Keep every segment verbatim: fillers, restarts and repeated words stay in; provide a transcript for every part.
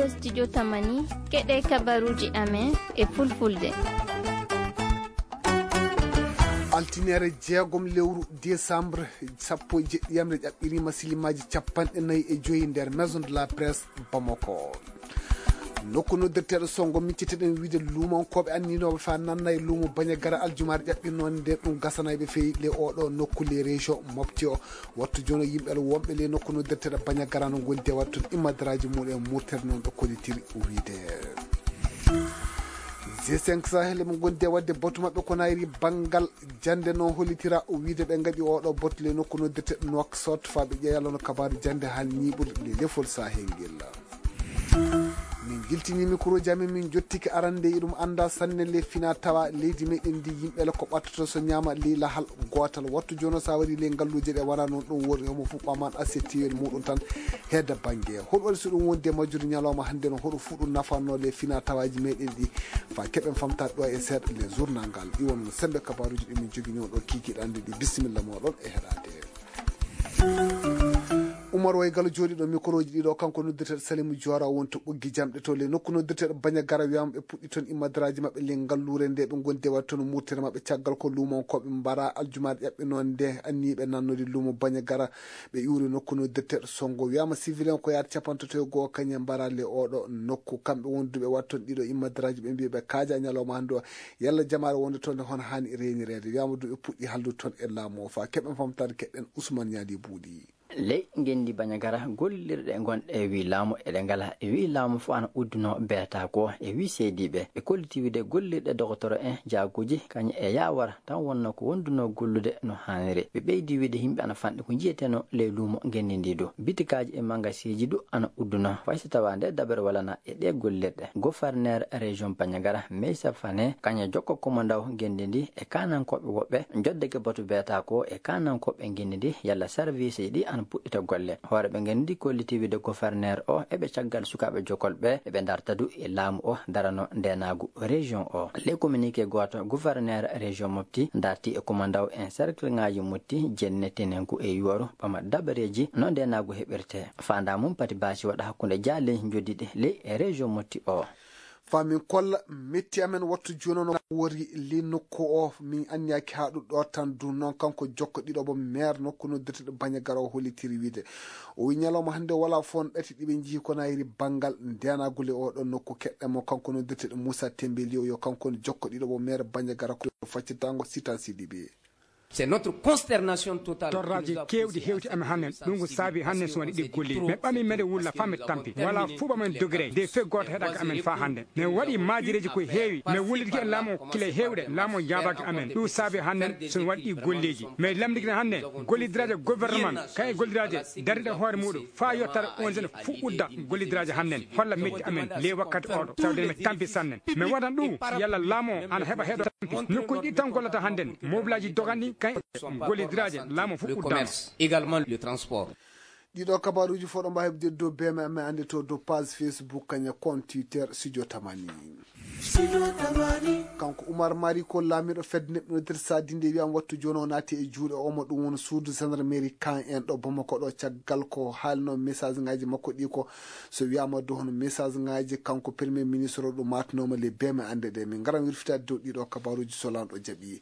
Studio Tamani, keɗe kabaruuji amen e fulfulde. Altineere jeegom lewru décembre, sappo e jeɗɗi yamre ƴaɓɓiriima silimaaji capanɗe nayi e joyi nder Maison de la Presse Bamako. Nokku noddirteeɗo Songo, micciteɗen wiide luumankooɓe anniinooɓe faa nanna e luumo Bañagara aljumaare ƴaɓɓirnoonde nde ɗum gasanayɓe feyi le oɗo nokku le région Mopti o. Wattu jooni o yimɓe wonɓe le nokku noddirteeɗo Bañagara no ngondi e wattude immadaraaji mumen e murtere noon ɓe kollitiri wiide. G cinq Sahel ɓe ngondi e waɗde batu maɓɓe ko nayri banngal jannde noon hollitira wiide ɓe ngaɗi oɗo batu le nokku noddirteeɗo Nouakchott faa ɓe ƴeewa yalla no kabaaru jannde haa ñiiɓude le lefol Sahel ngel. Min jiltini mikroji amen, min jottiki arande e ɗum annda sanne le fina tawa leydi meɗen ndi yimɓe le ko ɓattoto so ñaama ley lahal gootal. Wattu jooni o sa wari ley ngalluuje ɗe wona noon ɗum woni homo fuɓɓaman assiette muɗum tan hedda bannge. Hol waɗi so ɗum wondi e majjude ñalawma hannde no hoɗo fuɗum nafanno le fina tawaji meɗen ɗi fa keɓen famtade ɗo e seeɗa le journal ngal. Iwon no sembe kabaruji ɗi min jogini on ɗo kikiɗande ɗi. Bisimilla moɗon e heɗade. Umar Way Galo jooɗiiɗo mikroji ɗiɗo, kanko noddirteeɗo Salimu Joora woni to ɓoggi jamɗe to le nokku noddirteeɗo Bañagara wiyama ɓe puɗɗi toon immadaraaji maɓɓe le ngalluure nde ɓe ngondi e waɗde toon murtere maɓɓe caggal ko luumankooɓe mbara aljumaare ƴaɓɓe noon nde anniiɓe nannode luumo Bañagara ɓe iwri nokku noddirteeɗo Songo wiyama civilian ko yaata capantato e goo kañum mbara le oɗo nokku kamɓe wonduɓe waɗde toon ɗiɗo immadaraaji ɓe mbiya ɓe kaaja ñalawma hannde o. Yalla jamaare wonde toon nde hono haani reenireede? Wiyama ɗum ɓe puɗɗi haldude toon e laamu o faa keɓen famtaade keɗen Ousmane Ñaali Buuɗi. Ley ngenndi Bañagara gollirɗe gonɗe e wii laamu eɗe ngala e wii laamu fof ana udduno beeta ko e wii seediiɓe ɓe kolliti wiide gollirɗe dogotoro en jaaguuji kañum e yaawara tan wonno ko wonduno gollude no haaniri. Ɓe ɓeydi wiide yimɓe ana fanɗi ko njiyeteno ley luumo ngenndi ndi du bitikaaji e mangaseeji du ana udduno fay so tawa nde daɓere walana e ɗe gollirɗe. Gofarneer région Bañagara Meysa Fane kañum jokko komandaw ngenndi ndi e kaanankooɓe woɓɓe joddeke batu beeta ko e kaanankooɓe ngenndi ndi yalla sarviisi ɗi ana puɗɗita golle. Hooreeɓe ngenndi ndi kolliti wiide gofarneer o eɓe caggal sukaaɓe jokkolɓe eɓe darta du e laamu o darano ndeenaagu région o. Ley communiqué gooto gofarneer région Mopti darti e komandaw en cercle ŋaaji Mopti jenne tenenku e yuwaru ɓama dabareeji no ndeenaagu heɓirte. Faandaa mum pati baasi waɗa hakkunde jaaley njoddiɗi ley e région Mopti o. Faa min kolla metti amen wattu jooni no wori li nokku o min anniyaki haa ɗum ɗo tan du noon kanko jokko ɗiɗo bo maire nokku noddirteɗo Bañagara o hollitiri wiide o wi ñalawma hannde wala fof on ɗati ɗiɓe njihi ko nayri banngal ndenagule o ɗon nokku keɗɗe mo kanko noddirteɗo Moussa Tembeli o yo kanko on jokko ɗiɗo bo maire Bañagara ko faccitango sita sidiɓe. C'est notre consternation totale. Torraji kewɗi hewti amen hannen ɗum ko saabi hannen so waɗi ɗi golli mi ɓami mede wulla fami tampi wala fuɓa men dogre nde fe goto heɗaka amen fa hande mi waɗi majireji ko heewi mi wullitiki e laamu kile hewɗe laamu jaabaki amen ɗum saabi hannen so waɗi ɗi golleji mi lamdikina hande gollidiraje gouvernement kay gollidiraje dariɗe hoore muɗum fa yottata on jene fuɗɗude gollidiraje hannen holla metti amen le wakkati oɗo tawde mi tampi sannen mi waɗan ɗum yalla laamu ana heɓa heɗo tampi nokkuji ɗi tan gollata handen mobilaji dogani kay gollidiraaje laamu fof uddama. Également le transport. Ɗiɗo kabaruuji fof ɗo mbaawi heɓde dow B M M annde to dow page Facebook kañe compte Twitter Studio Tamani. Kanko Umar Mari ko laamiɗo fedde neɗɗo no nder sadinde wiyama wattu jooni o naati e juuɗe omo ɗum woni suudu gendarmerie kan en ɗo Bamako ɗo caggal ko haalno message ngaji makko ɗi ko so wiyama dow hono message ngaji kanko premier ministre o ɗum matnoma le B M M annde ɗe min ngaran wirfitade dow ɗiɗo kabaruuji so lanɗo jaɓi.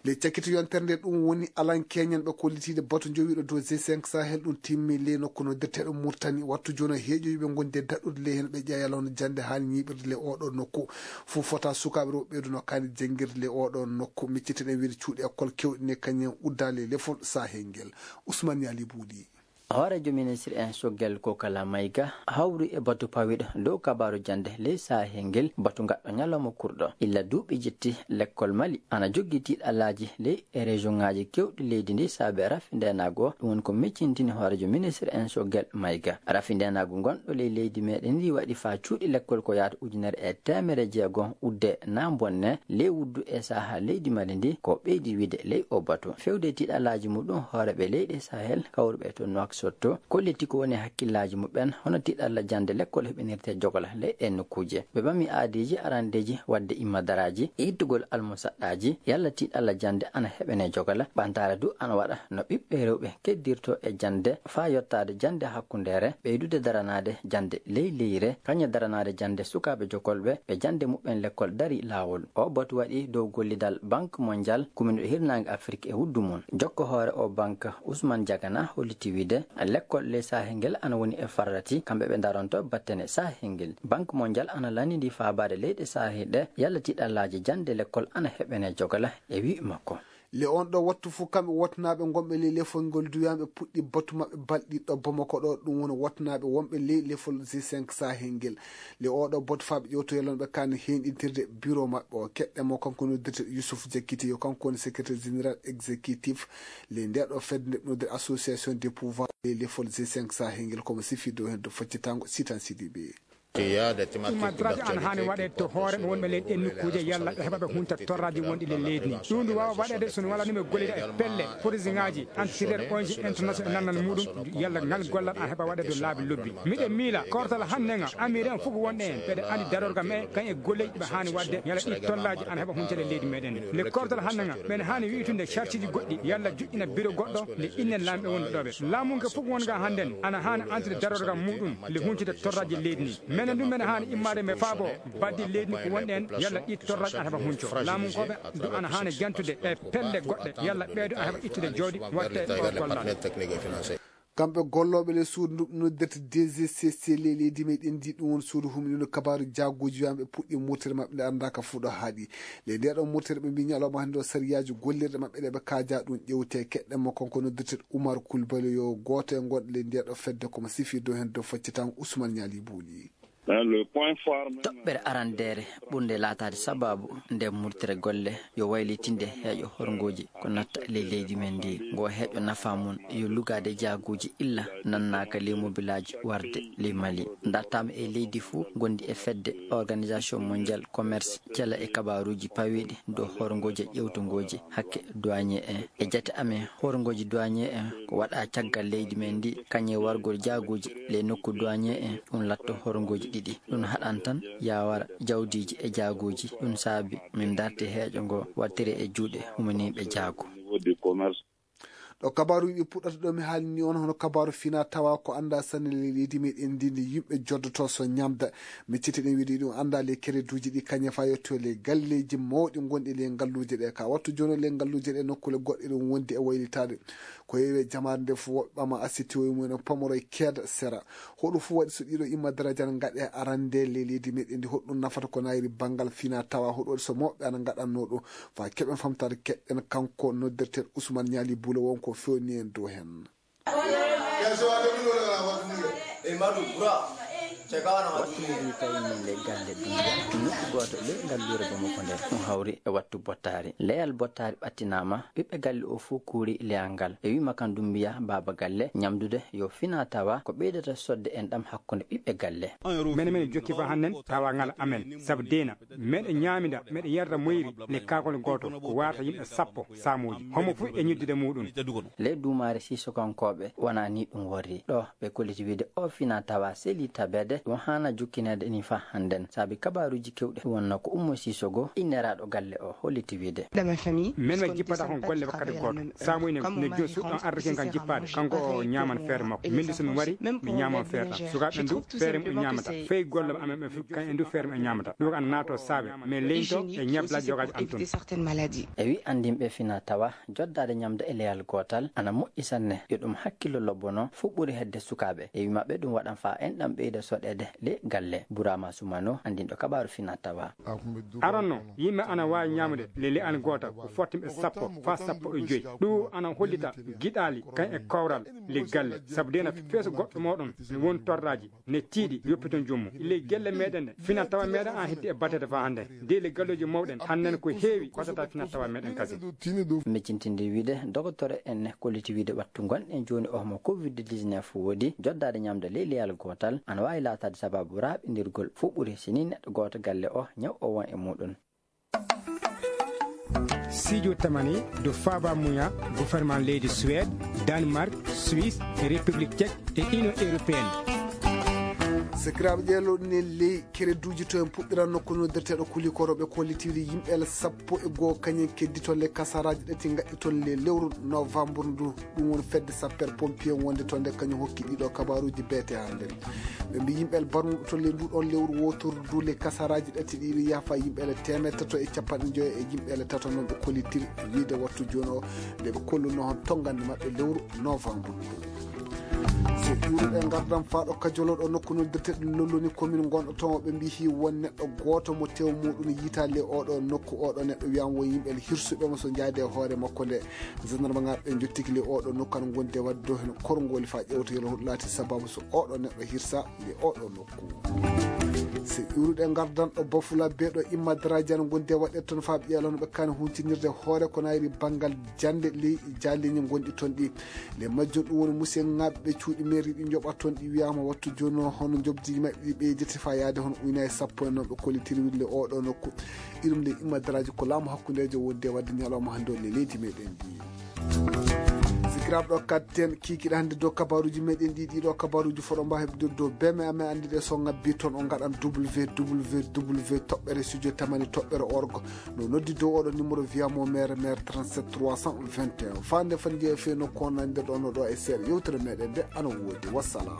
Ley cakkito yontere nde ɗum woni alan keñen ɓe kollitiiɗe batu jowiiɗo dow G cinq Sahel ɗum timmi ley nokku no detteeɗo Murtani wattu jooni heeƴoyuɓe ngondi e daɗɗude ley heen ɓe ƴeewa yalla hono jannde haani ñiiɓirde ley oɗo nokku fof fota sukaaɓe rewɓe ɓeyduno kaani janngirde ley oɗo nokku micciteɗen wiide cuuɗi école kewɗi ne kañum uddaali e lefol Sahel ngel. Ousmane Yaali Buuɗi. Hooreejo ministre en Sogel Kokala Mayga hawri e batu pawiɗo dow kabaaru jannde ley Sahel ngel batu ngaɗɗo ñalawma kurɗo illa duuɓi jetti lekkol Mali ana joggi tiiɗalaaji ley e région ŋaaji kewɗi leydi ndi saabe rafi ndeenaagu o ɗum woni ko miccintini hooreejo ministre en Sogel Mayga rafi ndeenaagu ngonɗo ley leydi meɗen ndi waɗi faa cuuɗi lekkol ko yaata ujunere e teemere jeego udde naa bonne ley wuddu e saha leydi Mali ndi ko ɓeydi wiide ley o batu fewde tiiɗalaaji muɗum hooreeɓe leyɗe Sahel kawruɓe to Nouakchott Sotto kolliti ko woni hakkillaaji muɓɓen, hono tiiɗalla jannde lekkol heɓinirte jogola ley ɗeen nokkuuje. Ɓe ɓami aadiiji arandeeji waɗde immadaraaji e ittugol almusaɗɗaaji, yalla tiiɗalla jannde ana heɓene jogola, ɓantaare du ana waɗa no ɓiɓɓe rewɓe keddirto e jannde faa yottaade jannde hakkundeere, ɓeydude daranaade jannde ley leyre, kañe daranaade jannde sukaaɓe jokolɓe ɓe jannde muɓɓen lekkol darii laawol. O batu waɗi dow gollidal Banque Mondiale, kuminuɗo hirnaange Afrik e wuddu mum. Jokko hoore o banque, Ousmane Diagana holliti wiide, lekkol ley Sahel ngel ana woni e farrati, kamɓe ɓe ndaronto battane Sahel ngel. Banque Mondiale ana lanndii faabaade leyɗe Sahel ɗe, yalla tiiɗallaaji jannde lekkol ana heɓene jogola e wi'i makko. Le on ɗo wattu fof kamɓe wotnaaɓe gonɓe ley lefol ngol duyaama ɓe puɗɗi batu maɓɓe balɗi ɗo Bamako ɗo, ɗum woni wotnaaɓe wonɓe ley lefol G cinq Sahel ngel. Le oɗo batu faa ɓe ƴewtoyalon ɓe kaani heenɗintirde bureau maɓɓe o. Keɗɗe mo kanko noddirte Youssouf Diakité, yo kanko woni secrétaire général exécutif le nde ɗo fedde nde noddir association des pouvoirs ley lefol G cinq Sahel ngel, komo sifi dow heen dow faccitango Sitan Sidibé. Immadraji ana haani waɗeede to hoore ɓe wonɓe ley ɗeen nokkuuje yalla ɓe heɓa ɓe hunta torraji wonɗi le leydi ndi. Ɗum ndu waawa waɗeede so no wala ɗum e gollida e pelle forisiŋaaji antirere O N G international nannan muɗum yalla ngal gollal ana heɓa waɗeede laabi lobbi. Miɗen miila kortal hannde nga amiri en fof wonɗe en ɓeɗe andi darorga me kañ e golleji ɓe haani waɗde yalla ɗi tollaji ana heɓa huncede leydi meɗen. Nde kortal hannde nga ɓen haani wi'tunde chartiji goɗɗi yalla joƴƴina biro goɗɗo nde innen laamɓe wonɓe ɗoɓe. Laamunke fof wonga hannden ana haani antude darorga muɗum nde huncude torraji leydi ndi. Menen du mene haani immaade mbe faabo baddi leydi ndi ko wonɗen yalla ɗi torraji ana heɓa hunco. Laamunkooɓe du ana haani jantude e pelle goɗɗe yalla ɓeedo a heɓa ittude jawdi watte o gollal. Kamɓe gollooɓe le suudu ndu noddirta D G C C le leydi meɗen ndi ɗum woni suudu humnindo kabaaru jaaguuji wiyaama ɓe puɗɗi murtere maɓɓe nde anndaaka fuu ɗo haaɗi. Le nde ɗon murtere ɓe mbi ñalawma hannde o sariyaaji gollirɗe maɓɓe ɗe ɓe kaaja ɗum ƴewte keɗɗen mo kanko noddirte Oumar Coulibaly yo gooto e gonɗe le nde ɗo fedde komo sifi dow heen dow faccitango Ousmane Ñaali Buuli. Toɓɓere arandeere ɓurnde laataade sabaabu nde murtere golle yo waylitinde heeƴo horngooji ko natta ley leydi men ndi. Ngo heeƴo nafa mum yo lugaade jaaguuji illa nannaaka ley mobilaaji warde ley Mali. Dartaama e leydi fuu ngonndi e fedde Organisation Mondial Commerce cela e kabaaruuji pawiiɗi dow horngooji e ƴewtungooji hakke douanier en. E jate amen, horngooji douanier en ko waɗa caggal leydi men ndi, kañum e wargol jaaguuji ley nokku douanier en, ɗum latto horngooji ɗiɗi. Ɗum haɗan tan yawara jawdiiji e jaaguuji. Ɗum saabi min darti heeƴo ngo wattire e juuɗe humaniiɓe jaagu. Ɗo kabaaruuji ɗi puɗɗata ɗo mi haalni on hono kabaaru fina tawa ko annda sanne ley leydi meɗen ndi ndi yimɓe joddoto so ñamda. Miccitiɗen wiide ɗum annda ley kereduuji ɗi kañe fa yetto ley galleeji mawɗi gonɗi ley ngalluuje ɗe. Ka wattu jooni ley ngalluuje ɗe nokkule goɗɗe ɗum wondi e waylitaade. Ko yewi e jamaare nde fof woɓɓe ɓama asiti o mumen o pamoro e keeda sera. Hoɗum fof waɗi so ɗiɗo imma darajal ngaɗe arande ley leydi meɗen ndi hoɗum nafata ko nayri banngal fina tawa hoɗum waɗi so mawɓe ana ngaɗanno ɗum. Fa keɓen famtaade keɗɗen kanko noddirten Ousmane Ñaali Buulo wonko fewni en dow heen. Wattu mi wi tawi min le galle Dumbiya nokku gooto le ngalluure Bamako nde ɗum hawri e wattu bottaari. Leyal bottaari ɓattinaama, ɓiɓɓe galle o fof kuuri leyal ngal. E wima kan Dumbiya baaba galle ñamdude yo fina tawa ko ɓeydata sodde en ɗam hakkunde ɓiɓɓe galle. Mene mene jokki fa hannen tawa ngal amen sabu deena. Meɗe ñaamida, meɗe yarda moyri, le kaakol gooto, ko warata yimɓe sappo saamuuji, homo fof e ñiddude muɗum. Ley duumaare Sisokankooɓe, wonaa nii ɗum worri. Ɗo ɓe kolliti wiide o fina tawa seli tabeede, ɗum haana jukkineede nii faa hannden. Saabi kabaaruuji keewɗi wonno ko Ummo Sisogo, inneraaɗo galle o, holliti wiide. Min mi jippata kon golle wakkati gooto. Saamuuji ne, ne jooni suuɗ ɗon ardikin kan jippaade, kanko o ñaaman feere makko. Min du so mi wari, mi ñaaman feere ɗam. Sukaaɓe ɓen du, feere mum ɓe ñaamata. Fey golle amen ɓe fof, kañum en du feere mum ɓe ñaamata. Ɗum ko ana naatoo saabe, mais leñto e ñablaaji jogaaji an tun. E wi anndinɓe fina tawa, joddaade ñamde e leyal gootal ana moƴƴi sanne. Yo ɗum hakkillo lobbono fof ɓuri hedde sukaaɓe. E wi maɓɓe ɗum waɗan faa enɗam ɓeyda soɗeede le galle. Burama Sumano, anndinɗo kabaaru fina tawa. Aranno, yimɓe ana waawi ñaamude le le'al gootal ko fottimɓe sappo faa sappo e joy. Ɗum ana hollita giɗaali kan e kawral le galle. Sabu deena feeso goɗɗo mooɗon ne woni torraaji, ne tiiɗi, yoppiton joomum. Ley gelle meɗen ne, fina tawa meɗen an heddi e batteede faa hannde. Dey le galleeji mawɗen, hannden ko heewi waɗata fina tawa meɗen kasi. Miccintinde wiide, dogotoro en ne kolliti wiide wattu ngonɗen jooni o mo covid dix-neuf woodi, joddaade ñamde ley leyal gootal, ana waawi laataade sababu raaɓindirgol fof ɓuri si nii neɗɗo gooto galle o ñaw o won e muɗum. Sijo tamani do faba muya gouvernement leydi Suède, Danemark, Suisse, e République Tchèque e Union Européenne. Sekiraaɓe, ƴeelo ne ley kereduuji to en puɗɗiran nokku noddirteeɗo kuli koroɓe kollitiiɗi yimɓe ala sappo e goo kañen keddi toon le kasaraaji ɗati ngaɗɗi toon le lewru novembre ndu. Ɗum woni fedde sapper pompier wonde toon nde kañum hokki ɗiɗo kabaruuji beete hannde. Ɓe mbi yimɓe ala barmuɓe toon le ndu ɗoon lewru wootoru ndu le kasaraaji ɗati ɗiɗi yafa yimɓe ala teemeɗe tato e capanɗe joyo e yimɓe ala tato noon ɓe kollitiri wiide wattu jooni o nde ɓe kolluno hon tonngande maɓɓe lewru novembre ndu. So ƴuuruɗe ngardan faaɗo kajoloɗo nokku noddirteɗo lolloni commune gonɗo toon o ɓe mbi hi won neɗɗo gooto mo tew muɗum yitaali e oɗo nokku oɗo neɗɗo wiyama won yimɓe hirsuɓe mo so jaade e hoore makko nde. Gendarme ngaɓe ɓe jottiki le oɗo nokku an gonde wadde do hen korngoli fa ƴewtoyol hoɗo laati sababu so oɗo neɗɗo hirsa le oɗo nokku. So ƴuuruɗe ngardan ɗo bafula beeɗo imma daraaji an gonde waɗde toon fa ɓiyalon ɓe kan huntinirde hoore ko nayri banngal jannde ley jaalleeji gonɗi toon ɗi. Le majjum ɗum woni musiyaŋaaɓe ɓe cuuɗi mairie ɗi njoɓa toon ɗi wiyama wattu jooni o hono njoɓdi maɓɓe ɗi ɓeydete fa yaade hono ujunaaji sappo e noon ɓe kollitiri wille oɗo nokku. Iɗum le imma daraaji ko laamu hakkundeejo wonde wadde ñalawma hannde o le leydi meɗen ndi. Sikiraaɓe ɗo kadten kiikiɗe hannde dow kabaruuji meɗen ɗi ɗiɗo kabaruuji foɗo mba heɓde dow beme amen anndude so ngabbi toon o ngaɗan www toɓɓere studio tamani toɓɓere org. No noddi dow oɗo numéro via mo mere mere trente-sept trois cent vingt et un fande fan jeeya fe nokku on nande ɗo no ɗo e seeɗa yewtere meɗen nde ana woodi wassalam.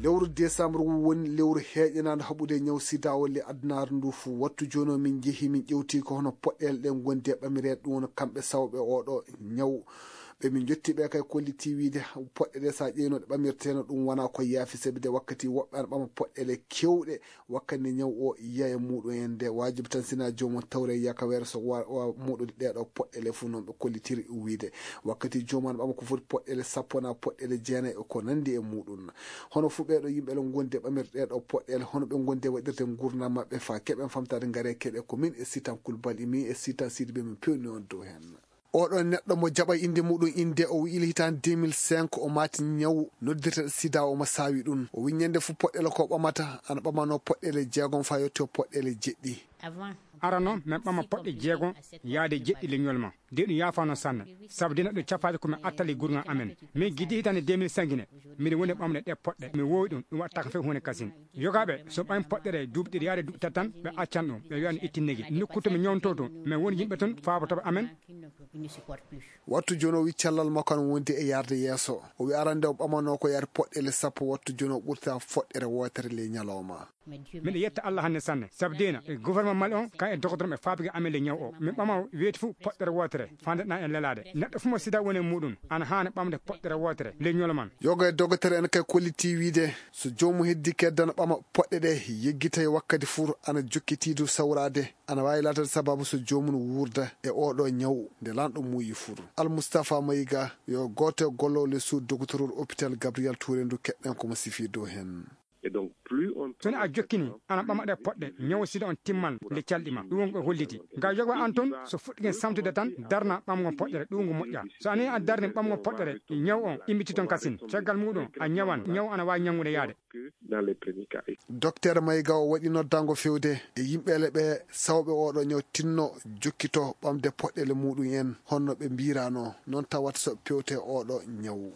Lewru décembre woni lewru heeƴanaande haɓude ñaw sida o le adunaaru ndu fof. Wattu jooni o min njehi min ƴewti ko hono poɗɗeele ɗen gondi e ɓamireede ɗum woni kamɓe sawɓe oɗo ñaw. Ɓe min jotti ɓe kay kolliti wiide poɗɗe ɗe sa ƴeyno ɗe ɓamirteno ɗum wona ko yaafi sabi de wakkati woɓɓe ana ɓama poɗɗeele kewɗe wakkati nde ñaw o yiya e muɗum en nde wajibi tan sina joomum tawre yaka weere so wa- wa- muɗude ɗeɗo poɗɗeele fof noon ɓe kollitiri wiide wakkati joomum ana ɓama ko foti poɗɗeele sappo na poɗɗeele jeenayi e ko nandi e muɗum. Hono fof ɓeɗo yimɓe le gondi e ɓamirde ɗeɗo poɗɗeele hono ɓe gondi e waɗirde gurdam maɓɓe fa keɓen famtade ngare keɗe ko min e sitan kulbal imi e sitan sidi ɓe min pewni on dow hen. Oɗo neɗɗo mo jaɓa innde muɗum innde o wi'ili hitaande deux mille cinq o maati ñaw noddirteɗo sida omo saawi ɗum. O wi'i ñande fof poɗɗeele ko ɓamata ana ɓamano poɗɗeele jeegom fa yetto poɗɗeele jeɗɗi. Arano min ɓama poɗɗe jeegom yaade jeɗɗi leñol ma de ɗum yaafano sanne. Sabu de neɗɗo cappaade ko min attali gurgal amen min giddi hitaande deux mille cinq ne. Miɗo woni ɓamde ɗe poɗɗe mi wowi ɗum ɗum waɗtaka few hunde kasin. Yogaɓe so ɓami poɗɗere duuɓi ɗiɗi yaade duuɓi tati tan ɓe accan ɗum ɓe wiya no itti negi nokku to mi ñawnto to min woni yimɓe toon faabotoɓe amen. Wattu jooni o wi cellal makko an wondi e yarde yeeso o wi arande o ɓamano ko yaade poɗɗele sappo wattu jooni o ɓurta foɗɗere wootere ley ñalawma. Miɗo yetta allah hannde sanne sabu deena e gouvernement mali on kan e dogotoram e faabige amen ley ñaw o min ɓama weeti fof poɗɗere wootere fandeɗa e lelaade neɗɗo fof mo sida woni e muɗum ana haana ɓamde poɗɗere wootere ley ñolo man. Yoga e dogotere en kay kolliti wiide so joomum heddi keddana ɓama poɗɗe ɗe yeggitay wakkati fof ana jokkitiidu sawraade ana waawi laatade sababu so joomum wuurda e oɗo ñaw nde lanɗo muuyi fof. Almustapha Mayiga yo gooto e golloowo le suudu dogotorol hôpital Gabriel Touré ndu keɗɗen komo sifii dow heen. Toni a jokkini ana ɓama ɗe poɗɗe ñaw sida on timmal nde calɗi ma ɗum won ko holliti nga yoga an toon so fuɗɗigen samtude tan darna ɓamgo poɗɗere ɗum ngo moƴƴa so ani a darni ɓamgo poɗɗere ñaw on immiti toon kasin caggal muɗum a ñawan ñaw ana waawi ñanngude yaade. Docteur Mayiga o waɗi noddango fewde e yimɓeele ɓe sawɓe oɗo ñaw tinno jokkito ɓamde poɗɗele muɗum en honno ɓe mbirano noon tawata so pewte oɗo ñaw.